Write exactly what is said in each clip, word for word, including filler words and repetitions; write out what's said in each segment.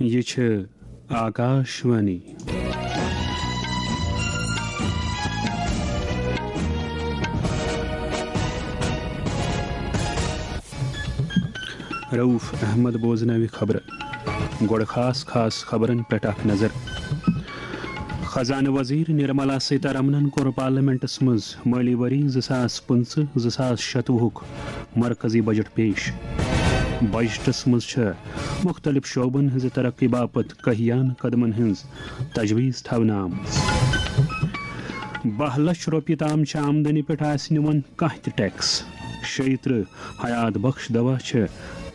یہِ چھِ آکاشوانی۔ رؤف احمد بوزناوِ خبرٕ۔ گۄڈٕ خاص خاص خبرن پٮ۪ٹھ اکھ نظر۔ خزانہٕ وزیر نرملا سیتارمنن کوٚر پارلیمنٹس منٛز مٲلی ؤری زٕ ساس پٕنٛژٕہ زٕ ساس شتوُہُک مرکزی بجٹ پیش۔ بجٹس منٛز چھِ مُختٔلِف شعبن ہٕنٛزِ ترقی باپتھ کہیان قدمن ہٕنٛز تجویز تھاونہٕ آمٕژ۔ باہ لچھ رۄپیہِ تام چھِ آمدنی پٮ۪ٹھ آسہِ نہٕ وۄنۍ کانٛہہ تہِ ٹیکس۔ شیٚیہِ ترٕٛہ حیات بخش دوا چھِ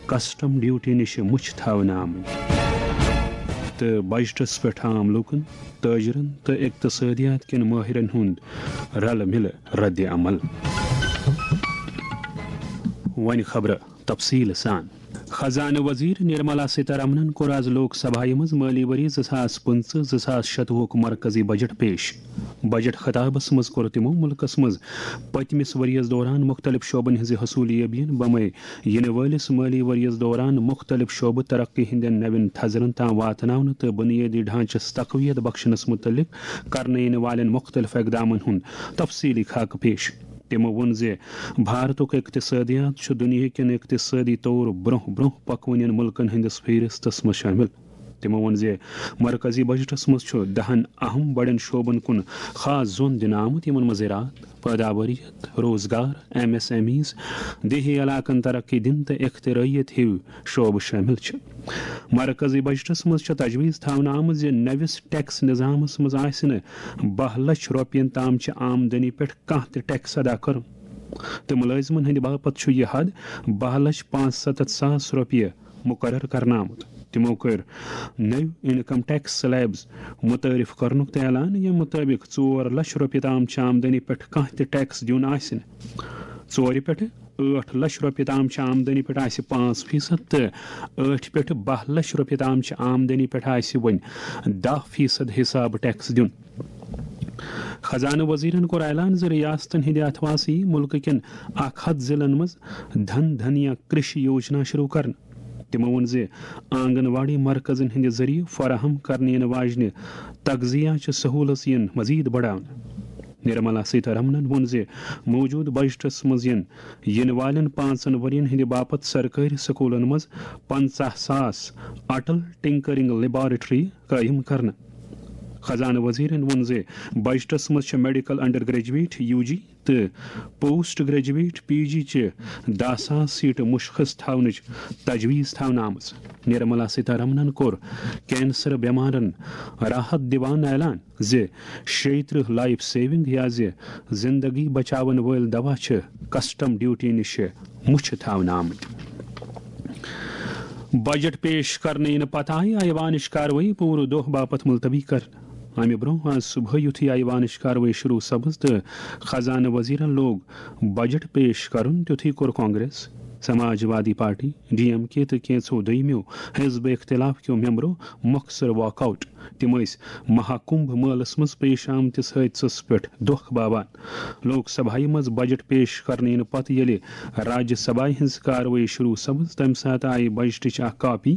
کسٹم ڈیوٹی نِش مُچھ تھاونہٕ آمٕتۍ۔ تہٕ بجٹس پٮ۪ٹھ عام لوٗکن، تاجرن تہٕ اقتصٲدیات کٮ۪ن مٲہرن ہُنٛد رلہٕ مِلہٕ رد عمل۔ وۄنۍ خبرٕ تفصیٖل سان۔ خزانہٕ وزیر نرملا سیتارمنن کوٚر آز لوک سبھایہ منٛز مٲلی ؤری زٕ ساس پٕنٛژٕہ زٕ ساس شتوُہُک مرکزی بجٹ پیش۔ بجٹ خطابس منٛز کوٚر تِمو مُلکس منٛز پٔتمِس ؤرۍ یَس دوران مُختٔلِف شعبن ہٕنٛزِ حصوٗلیابین، بمے یِنہٕ وٲلِس مٲلی ؤرۍ یَس دوران مُختٔلِف شعبہٕ ترقی ہٕنٛدٮ۪ن نوٮ۪ن تھزرن تام واتناونہٕ تہٕ بُنیٲدی ڈھانچس تقویت بخشنس مُتعلق کرنہٕ یِنہٕ والٮ۪ن مُختٔلِف اقدامن ہُنٛد تفصیٖلی خاکہٕ پیش۔ تِمو ووٚن زِ بھارتُک اقتصٲدیات چھُ دُنیاہکٮ۪ن اقتصٲدی طور برٛونٛہہ برٛونٛہہ پکوٕنٮ۪ن مُلکن ہٕنٛدِس فہرستس منٛز شٲمِل۔ تِمو ووٚن زِ مرکزی بجٹس منٛز چھُ دَہَن اہم بڑٮ۪ن شعبن کُن خاص زون دِنہٕ آمُت، یِمن منٛز زراعت، پٲداوٲریت، روزگار، ایم ایس ایم ایز، دیہی علاقن ترقی دِنہٕ تہٕ اختراعیت ہِوۍ شعبہٕ شٲمِل چھِ۔ مرکزی بجٹس منٛز چھِ تجویز تھاونہٕ آمٕژ زِ نٔوِس ٹیکس نظامس منٛز آسہِ نہٕ باہ لچھ رۄپین تام چہِ آمدنی پٮ۪ٹھ کانٛہہ تہِ ٹیکس ادا کرُن، تہٕ مُلٲزمن ہٕنٛدِ باپتھ چھُ یہِ حد باہ لچھ پانٛژھ ستتھ ساس رۄپیہِ مُقرر کرنہٕ آمُت۔ تِمو کٔر نٔوۍ انکم ٹیکس سلیبز متعارف کرنُک تہِ اعلان، ییٚمہِ مُطٲبِق ژور لچھ رۄپیہِ تام چہِ آمدنی پٮ۪ٹھ کانٛہہ تہِ ٹیکس دیُن آسہِ نہٕ۔ ژورِ پٮ۪ٹھٕ ٲٹھ لچھ رۄپیہِ تام چہِ آمدنی پٮ۪ٹھ آسہِ پانٛژھ فیصد تہٕ ٲٹھِ پٮ۪ٹھٕ باہ لچھ رۄپیہِ تام چہِ آمدنی پٮ۪ٹھ آسہِ وۄنۍ دَہ فیصد حساب ٹیکس دیُن۔ خزانہٕ وزیرن کوٚر اعلان زِ ریاستن ہٕنٛدِ اتھواسہٕ یِیہِ مُلکہٕ کٮ۪ن اکھ ہتھ ضلعن منٛز دھن دھنیا کرشی یوجنا شروع کرنہٕ۔ تِمو ووٚن زِ آنگن واڑی مرکزن ہٕنٛدِ ذٔریعہٕ فراہم کرنہٕ یِنہٕ واجنہِ تغذیہ چہِ سہوٗلژ یِن مزید بڑاونہٕ۔ نرملا سیتارمنن ووٚن زِ موجودٕ بجٹس منٛز یِن یِنہٕ والٮ۪ن پانٛژن ؤرین ہٕنٛدِ باپتھ سرکٲرۍ سکوٗلن منٛز پنٛژاہ ساس اٹل ٹنکرنگ لیبارٹری قٲیِم کرنہٕ۔ خزانہٕ وزیرن ووٚن زِ بجٹس منٛز چھِ میڈیکل انڈر گریجویٹ یو جی تہٕ پوسٹ گریجویٹ پی جی چہِ دَہ ساس سیٹہٕ مُشخص تھاونٕچ تجویز تھاونہٕ آمٕژ۔ نرملا سیتارمنن کوٚر کینسر بیمارن راحت دِوان اعلان زِ شیٚیہِ ترٕٛہ لائف سیونگ یا زِ زندگی بچاون وٲلۍ دوا چھِ کسٹم ڈیوٹی نِش مُچھِ تھاونہٕ آمٕتۍ۔ بجٹ پیش کرنہٕ یِنہٕ پتہٕ آیہِ ایوانٕچ کاروٲیی پوٗرٕ دۄہ باپتھ ملتوی کرنہٕ۔ امہِ برونٛہہ آز صبحٲے یُتھُے ایوانٕچ کاروٲیی شروع سپٕز تہٕ خزانہٕ وزیرن لوگ بجٹ پیش کرُن، تیُتھُے کوٚر کانگریس، سماج وادی پارٹی، ڈی ایم کے تہٕ کینٛژھو دوٚیمِیو حزب اختلاف کیو ممبرو مۄخصر واک آؤٹ۔ تِم ٲسۍ مہا کُمبھ مٲلَس منٛز پیش آمتِس حٲدثَس پٮ۪ٹھ دۄکھ باوان۔ لوک سبھایہِ منٛز بجٹ پیش کرنہٕ یِنہٕ پتہٕ ییٚلہِ راجیہ سبھایہِ ہٕنٛز کاروٲیی شروع سپٕز، تَمہِ ساتہٕ آیہِ بجٹٕچ اکھ کاپی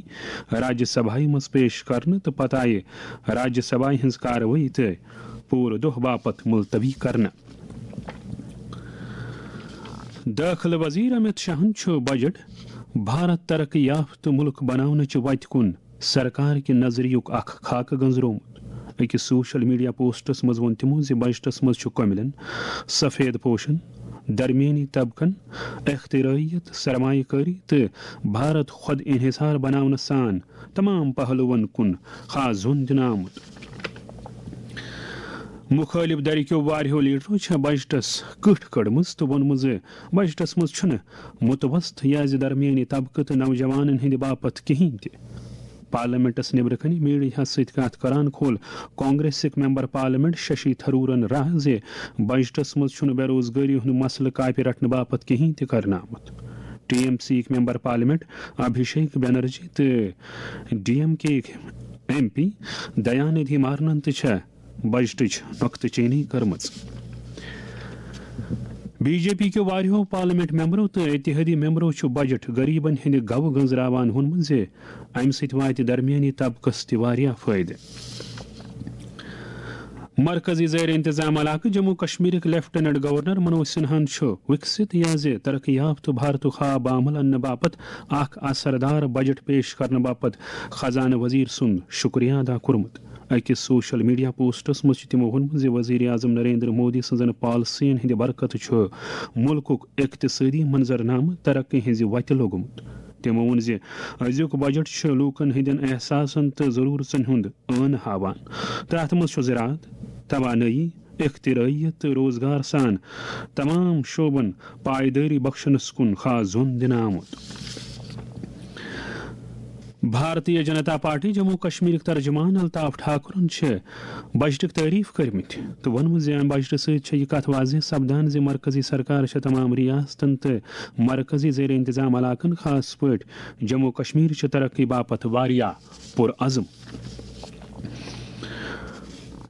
راجیہ سبھایہِ منٛز پیش کرنہٕ تہٕ پتہٕ آیہِ راجیہ سبھایہِ ہٕنٛز کاروٲیی تہِ پوٗرٕ دۄہ باپتھ ملتوی کرنہٕ۔ دٲخلہٕ وزیر امت شاہن چھُ بجٹ بھارت ترقی یافتہٕ مُلک بناونٕچہِ وتہِ کُن سرکار کہِ نظریُک اکھ خاکہٕ گنزرومُت۔ أکِس سوشل میڈیا پوسٹس منٛز ووٚن تِمو زِ بجٹس منٛز چھُ کٔمِلٮ۪ن، سفید پوشن، درمیٲنی طبقن، اختراعیت، سرمایہ کٲری تہٕ بھارت خود انحصار بناونہٕ سان تمام پہلوَن کُن خاص زون دِنہٕ آمُت۔ مُخٲلِف دھرِ کیو واریاہو لیڈرو چھےٚ بجٹس کٕٹھ کٔڑمٕژ تہٕ ووٚنمُت زِ بجٹس منٛز چھُنہٕ متوسط یا زِ درمیٲنی طبقہٕ تہٕ نوجوانن ہٕنٛدِ باپتھ کِہینۍ تہِ۔ پارلیمنٹس نیبرٕ کنہِ میڈیاہس سۭتۍ کتھ کران کھول کانگریسٕکۍ ممبر پارلیمنٹ ششی تھرورن راہ زِ بجٹس منٛز چھُنہٕ بے روزگٲری ہُنٛد مسلہٕ کاپہِ رٹنہٕ باپتھ کِہینۍ تہِ کرنہٕ آمُت۔ ٹی ایم سی یِکۍ ممبر پارلیمنٹ ابھیشیک بنرجی تہٕ ڈی ایم کے یِکۍ ایم پی دیا ندھی مارنن تہِ چھےٚ بجٹٕچ نۄقطہٕ چینی کٔرمٕژ۔ بی جے پی کیو واریاہو پارلیمنٹ ممبرو تہٕ اتحادی ممبرو چھُ بجٹ غریبن ہٕنٛدِ گوٚو گنزراوان ووٚنمُت زِ امہِ سۭتۍ واتہِ درمیٲنی طبقس تہِ واریاہ فٲیدٕ۔ مرکزی زیر انتظام علاقہٕ جموں کشمیرٕکۍ لیفٹیننٹ گورنر منوج سنہاہن چھُ وکست یا زِ ترقی یافتہٕ بھارتُک خواب عمل اننہٕ باپتھ اکھ اثردار بجٹ پیش کرنہٕ باپتھ خزانہٕ وزیر سُنٛد شکریہ ادا کوٚرمُت۔ أکِس سوشل میڈیا پوسٹس منٛز چھُ تِمو ووٚنمُت زِ وزیر اعظم نریندر مودی سٕنٛزن پالیسین ہٕنٛدِ برکتہٕ چھُ مُلکُک اقتصٲدی منظرنامہٕ ترقی ہٕنٛزِ وتہِ لوٚگمُت۔ تِمو ووٚن زِ أزیُک بجٹ چھُ لوٗکن ہٕنٛدٮ۪ن احساسن تہٕ ضروٗرژن ہُنٛد ٲنہٕ ہاوان تہٕ اتھ منٛز چھُ زراعت، توانٲیی، اختراعیت تہٕ روزگار سان تمام شعبن پائیدٲری بخشنس کُن خاص زون دِنہٕ آمُت۔ بھارتیہ جنتا پارٹی جموں کشمیرٕکۍ ترجمان الطاف ٹھاکرن چھِ بجٹٕکۍ تعریف کٔرمٕتۍ تہٕ ووٚنمُت زِ امہِ بجٹہٕ سۭتۍ چھےٚ یہِ کتھ واضح سپدان زِ مرکزی سرکار چھےٚ تمام ریاستن تہٕ مرکزی زیر انتظام علاقن، خاص پٲٹھۍ جموں کشمیر، چھِ ترقی باپتھ واریاہ پُرعزم۔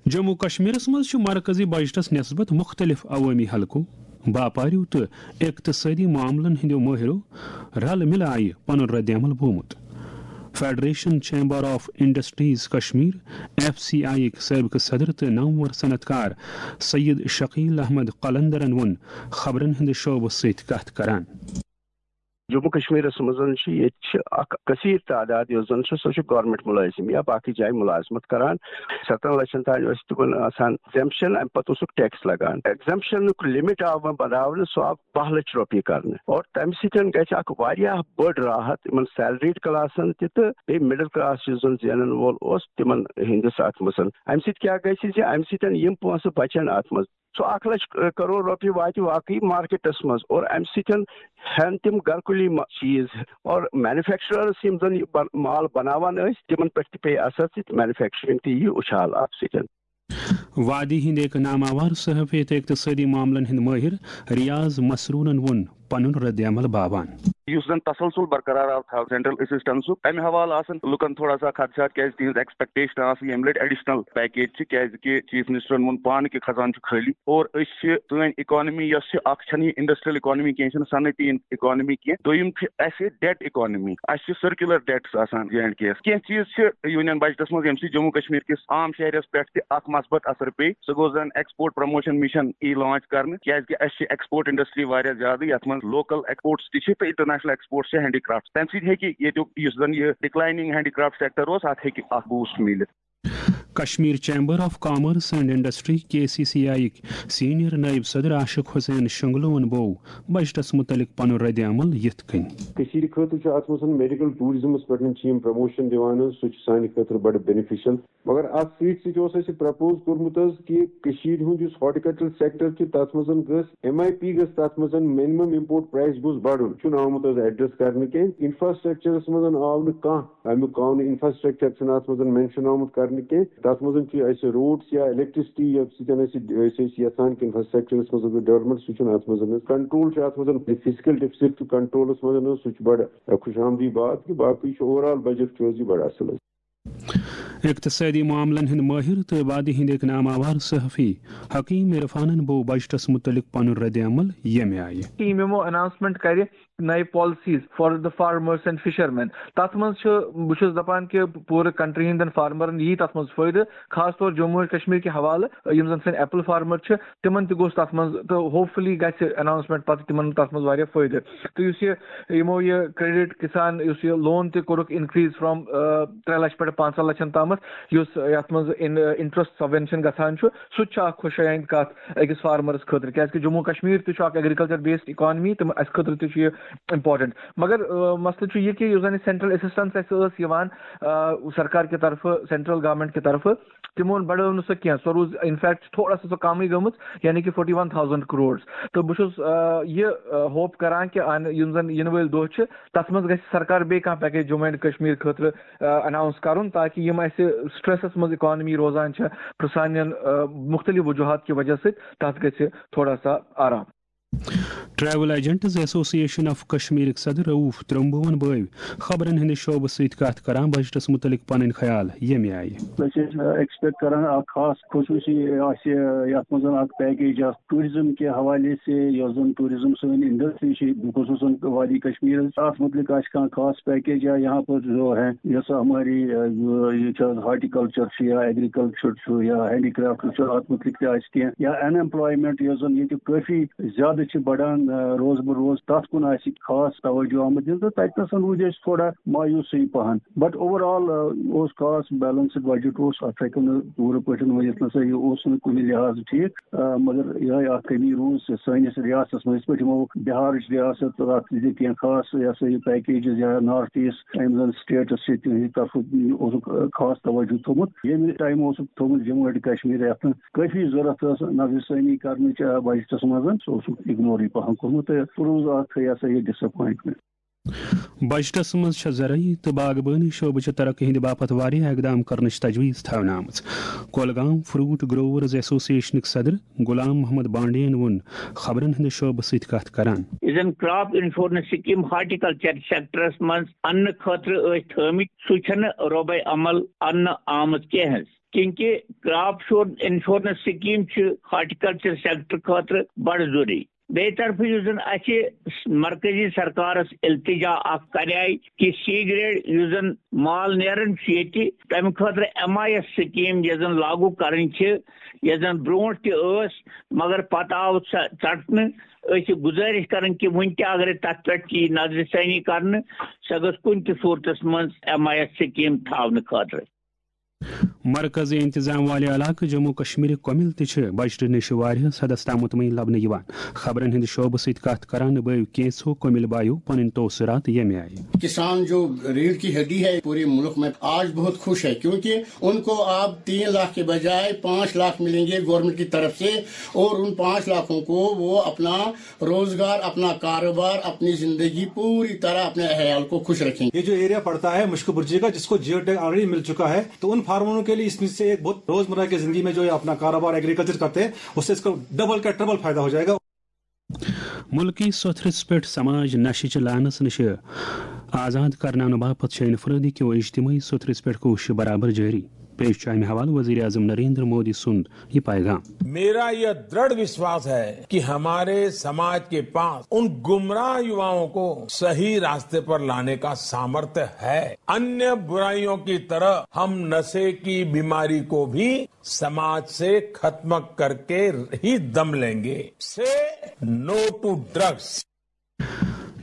جموں کشمیرس منٛز چھُ مرکزی بجٹس نسبت مختلف عوٲمی حلقو، باپاریو تہٕ اقتصٲدی معاملن ہٕنٛدیو مٲہرو رلہٕ مِلہٕ آیہِ پنُن رد عمل بومُت۔ Federation chamber of industries Kashmir, F C I یٕکۍ سٲبقہٕ صدر تہٕ نامور صنعت کار سید شکیل احمد قلندرن ووٚن خبرن ہٕنٛدِ شعبہٕ سۭتۍ کتھ کران۔ جموں کشمیرس منٛز چھِ، ییٚتہِ چھِ اکھ کثیر تعداد یۄس زن چھِ، سۄ چھِ گورنمنٹ مُلٲزِم یا باقٕے جایہِ مُلازمت کران۔ ستن لچھن تام ٲسۍ تِمن آسان ایگزمپشن، امہِ پتہٕ اوسُکھ ٹیکس لگان۔ ایگزمپشنُک لمٹ آو وۄنۍ بناونہٕ، سُہ آو باہ لچھ رۄپیہِ کرنہٕ، اور تمہِ سۭتۍ گژھِ اکھ واریاہ بٔڑ راحت یِمن سیلریڈ کلاسن تہِ تہٕ بیٚیہِ مڈل کلاس یُس زن زینن وول اوس، تِمن ہٕنٛدِس اتھ منٛز۔ امہِ سۭتۍ کیٛاہ گژھِ زِ امہِ سۭتۍ یِم پونٛسہٕ بچن اتھ منٛز۔ سُہ اکھ لچھ کرور رۄپیہِ واتہِ واقعی مارکیٹس منٛز، اور امہِ سۭتۍ ہٮ۪ن تِم گرکُلی ما-، چیٖز، اور مینوفیکچررس یِم زن یہِ بن-، مال بناوان ٲسۍ، تِمن پٮ۪ٹھ تہِ پیٚیہِ اثر تہٕ مینوفیکچرنگ تہِ یی اُچھال اتھ سۭتۍ۔ وادی ہٕنٛدۍ أکۍ ناماوار صحافی تہٕ اقتصٲدی معاملن ہٕنٛدۍ مٲہر ریاض مسرورن ووٚن پنُن رد عمل باوان۔ یُس زن تسلسل برقرار آو تھاو سینٹرل اسسٹنسُک، امہِ حوالہٕ آسن لُکن تھوڑا سا خدشات، کیازِ تِہنٛز ایکسپیکٹیشن آسہٕ ییٚمہِ لٹہِ ایڈیشنل پیکیج چھِ، کیازِ کہِ چیف منسٹرن ووٚن پانہٕ کہِ خزانہٕ چھُ خٲلی، اور أسۍ چھِ، سٲنۍ اکانمی یۄس چھِ، اکھ چھنہٕ یہِ انڈسٹریل اکانمی کینٛہہ، یہِ چھنہٕ صنعتی اکانمی کینٛہہ، دوٚیِم چھِ اسہِ ڈیٹ اکانمی، اسہِ چھِ سرکیولر ڈیٹس آسان جے اینڈ کے یس۔ کینٛہہ چیٖز چھِ یونین بجٹس منٛز ییٚمہِ سۭتۍ جموں کشمیر کِس عام شہرس پٮ۪ٹھ تہِ اکھ مثبت اثر پیٚیہِ، سُہ گوٚو زن ایکسپورٹ پروموشن مشن ای لانچ کرنہٕ، کیازِ کہِ اسہِ چھِ ایکسپورٹ انڈسٹری واریاہ زیادٕ، یتھ منٛز لوکل ایکسپورٹس تہِ چھِ تہٕ انٹرنیشنل ایکسپورٹس چھِ ہینڈی کرافٹ۔ تمہِ سۭتۍ ہیٚکہِ ییٚتیُک یُس زن یہِ ڈکلایننگ ہینڈی کرافٹ سیکٹر اوس، اتھ ہیٚکہِ اکھ بوسٹ میٖلِتھ۔ Kashmir chamber of commerce and industry, K C C I یٕکۍ سینئر نائب صدر عاشق حسین شنگلوون بوو بجٹس متعلق پنُن رد عمل یِتھ کٔنۍ۔ کٔشیٖرِ خٲطرٕ چھُ اتھ منٛز میڈیکل ٹوٗرزمس پٮ۪ٹھ چھِ یِم پروموشن دِوان حظ، سُہ چھُ سانہِ خٲطرٕ بڑٕ بینیفیشل۔ مگر اتھ سۭتۍ سۭتۍ اوس اسہِ پرپوز کوٚرمُت حظ کہِ کٔشیٖرِ ہُنٛد یُس ہارٹیکلچر سیکٹر چھُ، تتھ منٛز گٔژھ ایم آئی پی گٔژھ تتھ منٛز، مِنِمم امپورٹ پرایس گوٚژھ بڑُن، چھُنہٕ آمُت حظ ایڈریس کرنہٕ کینٛہہ۔ انفراسٹرکچرس منٛز آو نہٕ کانٛہہ امیُک قانون، انفراسٹرکچر چھُنہٕ اتھ منٛز مینشن آمُت کرنہٕ کینٛہہ۔ تتھ منٛز چھِ اسہِ روڈس یا الیکٹریسٹی، ییٚمہِ سۭتۍ اسہِ، أسۍ ٲسۍ یژھان کہِ انفراسٹرکچرس منٛز گژھِ ڈیولپمنٹ، سُہ چھُنہٕ اتھ منٛز۔ کنٹرول چھُ اتھ منٛز، فسکل ڈیفسٹ چھُ کنٹرولس منٛز، سُہ چھُ بڑٕ خوش آمدی بات کہِ باقٕے چھُ اوور آل بجٹ چھُ حظ یہِ بڑٕ اصل حظ۔ اقتصٲدی معاملن ہٕنٛدۍ مٲہِر تہٕ وادی ہٕنٛدۍ أکۍ ناماوار صحافی حکیم عرفانن بوو بجٹس مُتعلق پنُن رد عمل ییٚمہِ آیہِ۔ یِم یِمو اناؤنسمنٹ کرِ نَیہِ policies for the farmers and fishermen۔ تَتھ منٛز چھُ، بہٕ چھُس دَپان کہِ پوٗرٕ کنٹری ہٕنٛدٮ۪ن فارمرن یی تَتھ منٛز فٲیدٕ، خاص طور جموں و کشمیر کہِ حوالہٕ، یِم زَن سٲنۍ ایپل فارمر چھِ، تِمن تہِ گوٚژھ تَتھ منٛز، تہٕ ہوپ فُلی گژھِ اناؤنسمنٹ پتہٕ تِمن تَتھ منٛز واریاہ فٲیدٕ۔ تہٕ یُس یہِ، یِمو یہِ کریڈٹ کسان، یُس یہِ لون تہِ کوٚرُکھ increase from، آ، ترٛےٚ لچھ پٮ۪ٹھ پانٛژھ لچھن تامَتھ، یُس یَتھ منٛز انٹرسٹ سبوینشن گژھان چھُ، سُہ تہِ چھُ اکھ خۄش آیند کتھ أکِس فارمرس خٲطرٕ، کیازِ کہِ جموں کشمیر تہِ چھُ اکھ ایگریکلچر بیسڈ اکانمی، تہٕ اسہِ خٲطرٕ تہِ چھُ یہِ امپورٹنٹ۔ مگر، آ، مسلہٕ چھُ یہِ کہِ یُس زن یہِ سینٹرل اسسٹنس اسہِ ٲس یِوان، آ، سرکار کہِ طرفہٕ، سینٹرل گورنمنٹ کہِ طرفہٕ، تِمو بڑٲو نہٕ سۄ کینٛہہ، سۄ روٗز in fact تھوڑا سا سۄ کمٕے گٔمٕژ، یعنی کہِ forty one thousand crores۔ تہٕ بہٕ چھُس، آ، یہِ، آ، ہوپ کران کہِ ان-، یِم زن یِنہٕ وٲلۍ دۄہ چھِ، تتھ منٛز گژھِ سرکار بیٚیہِ کانٛہہ پیکیج جموں اینڈ کشمیر خٲطرٕ، آ، اناؤنس کرُن، تاکہِ یِم اسہِ سٹریسس منٛز اکانمی روزان چھِ، پرسانین، آ، مختلف وجوہات کہِ وجہ سۭتۍ، تتھ گژھِ تھوڑا سا آرام۔ ٹریول ایجنٹز ایسوسی ایشن آف کشمیرٕکۍ صدر رؤف ترمبوہن بٲوۍ خبرن ہٕنٛدِ شعبہٕ سۭتۍ کتھ کران بجٹس متعلق پنٕنۍ خیال ییٚمہِ آیہِ۔ أسۍ ٲسۍ ایکسپیکٹ کران اکھ خاص خصوٗصی آسہِ یتھ منٛز اکھ پیکیج آسہِ ٹوٗرزم کہِ حوالے سے، یۄس زن ٹوٗرزم سٲنۍ انڈسٹری چھِ، خصوٗصن وادی کشمیر، اتھ متعلق آسہِ کانٛہہ خاص پیکیج یا یہاں پر جو ہے، یۄس ہماری، اہ، یہِ چھِ حظ ہارٹیکلچر چھُ یا ایگریکلچر چھُ یا ہینڈی کرافٹ چھُ، اتھ متعلق تہِ آسہِ کینٛہہ، یا ان ایمپلایمنٹ یۄس زن ییٚتہِ کٲفی زیادٕ چھِ بڑان، آ، روز بہ روز، تَتھ کُن آسہِ خاص توجہ آمُت دِنہٕ، تہٕ تَتہِ نَسَن روٗدۍ أسۍ تھوڑا مایوٗسٕے پَہَن۔ But overall، آ، اوس خاص بیلنسڈ بجٹ اوس، اَتھ ہیٚکو نہٕ پوٗرٕ پٲٹھۍ ؤنِتھ نہ سا یہِ اوس نہٕ کُنہِ لحاظہٕ ٹھیٖک، آ، مگر یِہوٚے اَکھ کٔمی روٗز سٲنِس ریاستَس منٛز، یِتھ پٲٹھۍ یِمو بِہارٕچ ریاست تہٕ اَتھ دِتۍ کینٛہہ خاص، یہِ ہسا یہِ پیکیجز یا نارتھ ایسٹ یِم زَن سٹیٹس چھِ تِہنٛدِ طرفہٕ اوسُکھ، آ، خاص توجہ تھوٚومُت، ییٚمہِ ٹایمہٕ اوسُکھ تھوٚومُت جموں اینڈ کشمیر یَتھ کٲفی ضروٗرت ٲس نظرِ ثٲنی کرنٕچ، آ، بجٹس منٛز، سُہ اوسُکھ اگنورٕے پہن کوٚرمُت تہٕ سُہ روٗز اکھ، یہِ ہسا یہِ، ڈساپوینٹمنٹ۔ بجٹس منٛز چھےٚ زرعی تہٕ باغبٲنی شعبہٕ چہِ ترقی ہٕنٛدِ باپتھ واریاہ اقدام کرنٕچ تجویز تھاونہٕ آمٕژ۔ کولگام فروٹ گروورز ایسوسی ایشنٕکۍ صدر غلام محمد بانڈین ووٚن خبرن ہٕنٛدِ شعبہٕ سۭتۍ کتھ کران۔ یُس زن کرپ انشورنس سکیٖم ہارٹیکلچر سیکٹرس منٛز اننہٕ خٲطرٕ ٲسۍ تھٲومٕتۍ، سُہ چھنہٕ رۄبے عمل اننہٕ آمٕژ کینٛہہ حظ۔ کیونکہ کرپ شور انشورنس سکیٖم چھِ ہارٹیکلچر سیکٹر خٲطرٕ بڑٕ ضروٗری۔ بیٚیہِ طرفہٕ یُس زن اسہِ مرکزی سرکارس التجا اکھ کرے کہِ سی گریڈ یُس زن مال نیران چھُ ییٚتہِ، تمہِ خٲطرٕ ایم آئی ایس سکیٖم یۄس زن لاگو کرٕنۍ چھِ، یۄس زن برونٛٹھ تہِ ٲس، مگر پتہٕ آو سۄ ژٹنہٕ۔ أسۍ چھِ گُزٲرِش کران کہِ وُنہِ تہِ اگرے تتھ پٮ۪ٹھ یی نظرِ ثٲنی کرنہٕ، سۄ گٔژھ کُنہِ تہِ صوٗرتس منٛز ایم آئی ایس سکیٖم تھاونہٕ خٲطرٕ۔ مرکزی انتظام والہِ علاقہٕ جموں کشمیرٕکۍ کۄمِل تہِ چھِ بجٹہٕ نِش واریاہس حدس تام مطمئن لبنہٕ یِوان۔ خبرن ہٕنٛدِ شعبہٕ سۭتۍ کتھ کران بٲوۍ کینژھو کۄمِل بایو پنٕنۍ تاثرات ییٚمہِ آیہِ۔ کسان جو ریڑھ کی ہڈی ہے پورے ملک میں، آج بہت خوش ہے، کیونکہ ان کو اب تین لاکھ کے بجائے پانچ لاکھ ملیں گے گورنمنٹ کی طرف سے، اور ان پانچ لاکھوں کو وہ اپنا روزگار، اپنا کاروبار، اپنی زندگی پوری طرح اپنے عیال کو خوش رکھیں گے۔ یہ جو ایریا پڑتا ہے مشک برجی کا، جس کو جیو ٹیگ آلریڈی مل چکا ہے، تو ان فارمروں کے لیے اس میں سے ایک بہت روزمرہ کی زندگی میں جو یہ اپنا کاروبار ایگریکلچر کرتے ہیں، اس سے اس کو ڈبل کا ٹربل فائدہ ہو جائے گا۔ ملکی سوٚتھرِس پٮ۪ٹھ سماج نشہِ چہِ لعنس نِش آزاد کرناونہٕ باپتھ چھِ انفرٲدی کیو اجتمٲعی سوٚتھرِس پٮ۪ٹھ کوٗششہٕ برابر جٲری۔ پیش چھُ امہِ حوالہٕ وزیر اعظم نریندر مودی سُنٛد یہ پیغام۔ میرا یہ دڑھ وشواس ہے کہ ہمارے سماج کے پاس ان گمراہ یواؤں کو صحیح راستے پر لانے کا سامرتھ ہے۔ अन्य बुराइयों की तरह हम नशे की बीमारी को भी समाज से खत्म करके ही दम लेंगे। से नो टू ड्रग्स।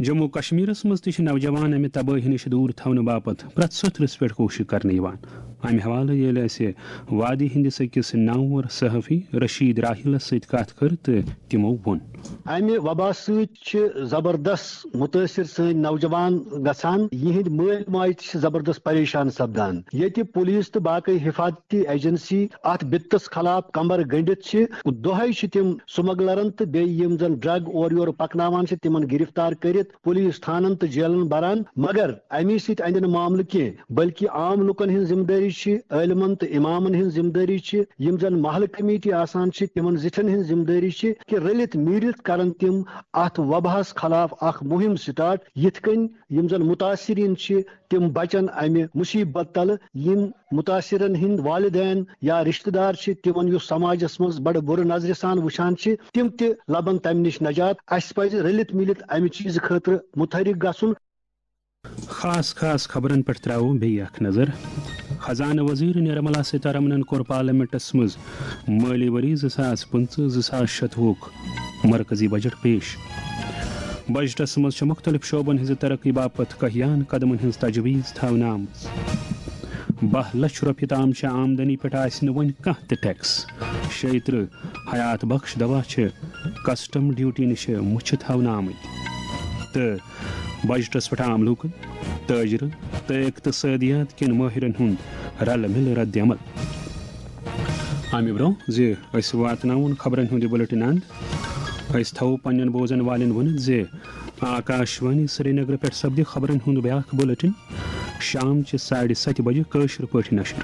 جموں کشمیرس منٛز تہِ چھِ نوجوان امہِ تبٲہی نِش دوٗر تھاونہٕ باپتھ پرٛٮ۪تھ سوٚتھرِس پٮ۪ٹھ کوٗشش کرنہٕ یِوان۔ امہِ حوالہٕ ییٚلہِ اسہِ وادی ہندس أکِس نامور صحافی رشید راحلس سۭتۍ کتھ کٔر تہٕ تِمو ووٚن۔ امہِ وبا سۭتۍ چھِ زبردست متٲثر سٲنۍ نوجوان گژھان۔ یِہنٛدۍ مٲلۍ ماجہِ تہِ چھِ زبردست پریشان سپدان۔ ییٚتہِ پولیس تہٕ باقٕے حفاظتی ایجنسی اتھ بِتس خلاف کمر گٔنڈِتھ چھِ، دۄہے چھِ تِم سمگلرن تہٕ بیٚیہِ یِم زن ڈرگ اورٕ یورٕ پکناوان چھِ، تِمن گرفتار کٔرِتھ پولیس تھانن تہٕ جیلن بران۔ مگر امی سۭتۍ اندِ نہٕ معاملہٕ کینٛہہ، بلکہِ عام لوٗکن ہٕنٛز ذمہٕ دٲری چھِ، عٲلمن تہٕ امامن ہٕنٛز ذمہٕ دٲری چھِ، یِم زن محلہٕ کمیٹی آسان چھِ، تِمن زِٹھٮ۪ن ہٕنٛز ذمہٕ دٲری چھِ کہِ رٔلِتھ میٖلِتھ کرن تِم اتھ وباہس خلاف اکھ مُہِم سٹارٹ، یِتھ کٔنۍ یِم زن متاثرین چھِ، تِم بچن امہِ مصیبت تلہٕ۔ یِم متاثرن ہٕنٛدۍ والدین یا رشتہٕ دار چھِ، تِمن یُس سماجس منٛز بڑٕ بُرٕ نظرِ سان وٕچھان چھِ، تِم تہِ لبن تمہِ نِش نجات۔ اسہِ پزِ رٔلِتھ میٖلِتھ امہِ چیٖزٕ خٲطرٕ متحرک گژھُن۔ خاص خاص خبرن پٮ۪ٹھ ترٛاوو بیٚیہِ اکھ نظر۔ خزانہٕ وزیر نرملا سیتارمنن کوٚر پارلیمنٹس منٛز مٲلی ؤری زٕ ساس پٕنٛژٕہ زٕ ساس شتوُہُک مرکزی بجٹ پیش۔ بجٹس منٛز چھِ مُختٔلِف شعبن ہٕنٛزِ ترقی باپتھ کاہیان قدمن ہٕنٛز تجویز تھاونہٕ آمٕژ۔ باہ لچھ رۄپیہِ تام چھِ آمدنی پٮ۪ٹھ آسہِ نہٕ وۄنۍ کانٛہہ تہِ ٹیکس۔ شیٚیہِ ترٕٛہ حیات بخش دوا چھِ کسٹم ڈیوٹی نِش مُچھِ تھاونہٕ آمٕتۍ۔ تہٕ بجٹس پٮ۪ٹھ عام لوٗکن، تٲجرن تہٕ اقتصٲدیات کٮ۪ن مٲہرن ہُنٛد رلہٕ مِلہٕ رد عمل۔ امہِ برٛونٛہہ زِ أسۍ واتناوون خبرن ہُنٛد یہِ بُلٹن اند، أسۍ تھاوو پننٮ۪ن بوزن والٮ۪ن ؤنِتھ زِ آکاشوانی سرینگر پٮ۪ٹھ سپدِ خبرن ہُنٛد بیاکھ بُلٹن شام چہِ ساڑِ ستہِ بجہِ کٲشِر پٲٹھۍ نشر۔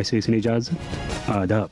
اسہِ ٲسِن اجازت۔ آداب۔